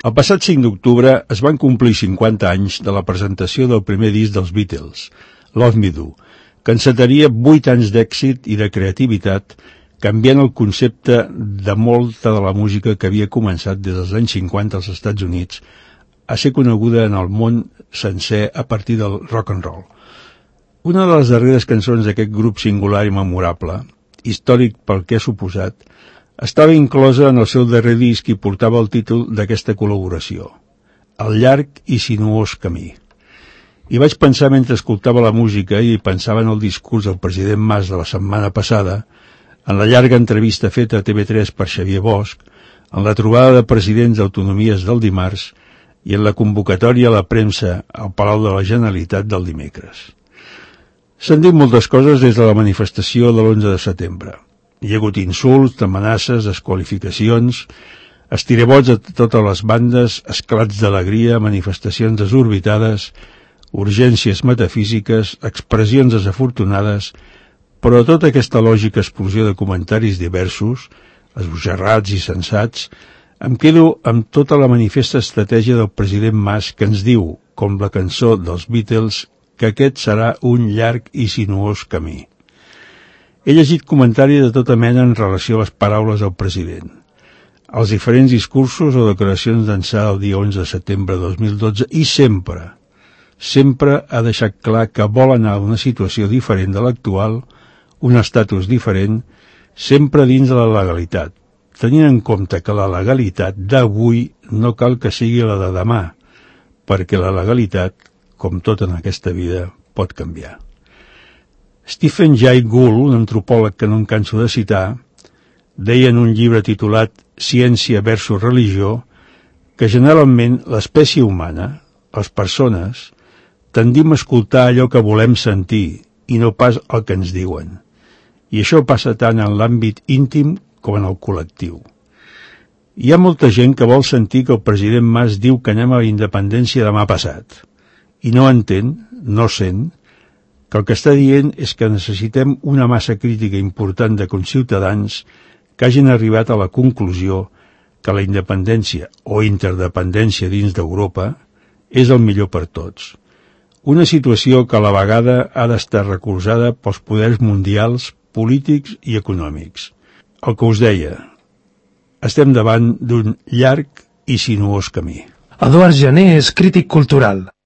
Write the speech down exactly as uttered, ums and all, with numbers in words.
El passat cinc d'octubre es van complir cinquanta anys de la presentació del primer disc dels Beatles, Love Me Do, que encetaria vuit anys d'èxit i de creativitat, canviant el concepte de molta de la música que havia començat des dels anys cinquanta als Estats Units a ser coneguda en el món sencer a partir del rock and roll. Una de les darreres cançons d'aquest grup singular i memorable, històric pel que ha suposat, estava inclosa en el seu darrer disc i portava el títol d'aquesta col·laboració, El llarg i sinuós camí. I vaig pensar mentre escoltava la música i pensava en el discurs del president Mas de la setmana passada, en la llarga entrevista feta a T V tres per Xavier Bosch, en la trobada de presidents d'autonomies del dimarts i en la convocatòria a la premsa al Palau de la Generalitat del dimecres. S'han dit moltes coses des de la manifestació de l'onze de setembre. Hi ha hagut insults, amenaces, desqualificacions, estirabots a totes les bandes, esclats d'alegria, manifestacions desorbitades, urgències metafísiques, expressions desafortunades, però tota aquesta lògica explosió de comentaris diversos, esbojarrats i sensats, em quedo amb tota la manifesta estratègia del president Mas que ens diu, com la cançó dels Beatles, que aquest serà un llarg i sinuós camí. He llegit comentaris de tota mena en relació a les paraules del president. Els diferents discursos o declaracions d'ençà del dia onze de setembre de dos mil dotze i sempre, sempre ha deixat clar que vol anar a una situació diferent de l'actual, un estatus diferent, sempre dins de la legalitat, tenint en compte que la legalitat d'avui no cal que sigui la de demà, perquè la legalitat, com tot en aquesta vida, pot canviar. Stephen Jay Gould, un antropòleg que no em canso de citar, deia en un llibre titulat Ciència versus religió que generalment l'espècie humana, les persones, tendim a escoltar allò que volem sentir i no pas el que ens diuen. I això passa tant en l'àmbit íntim com en el col·lectiu. Hi ha molta gent que vol sentir que el president Mas diu que anem a la independència demà passat i no entén, no sent, que el que està dient és que necessitem una massa crítica important de conciutadans que hagin arribat a la conclusió que la independència o interdependència dins d'Europa és el millor per tots. Una situació que a la vegada ha d'estar recolzada pels poders mundials, polítics i econòmics. El que us deia, estem davant d'un llarg i sinuós camí. Eduard Jané és crític cultural.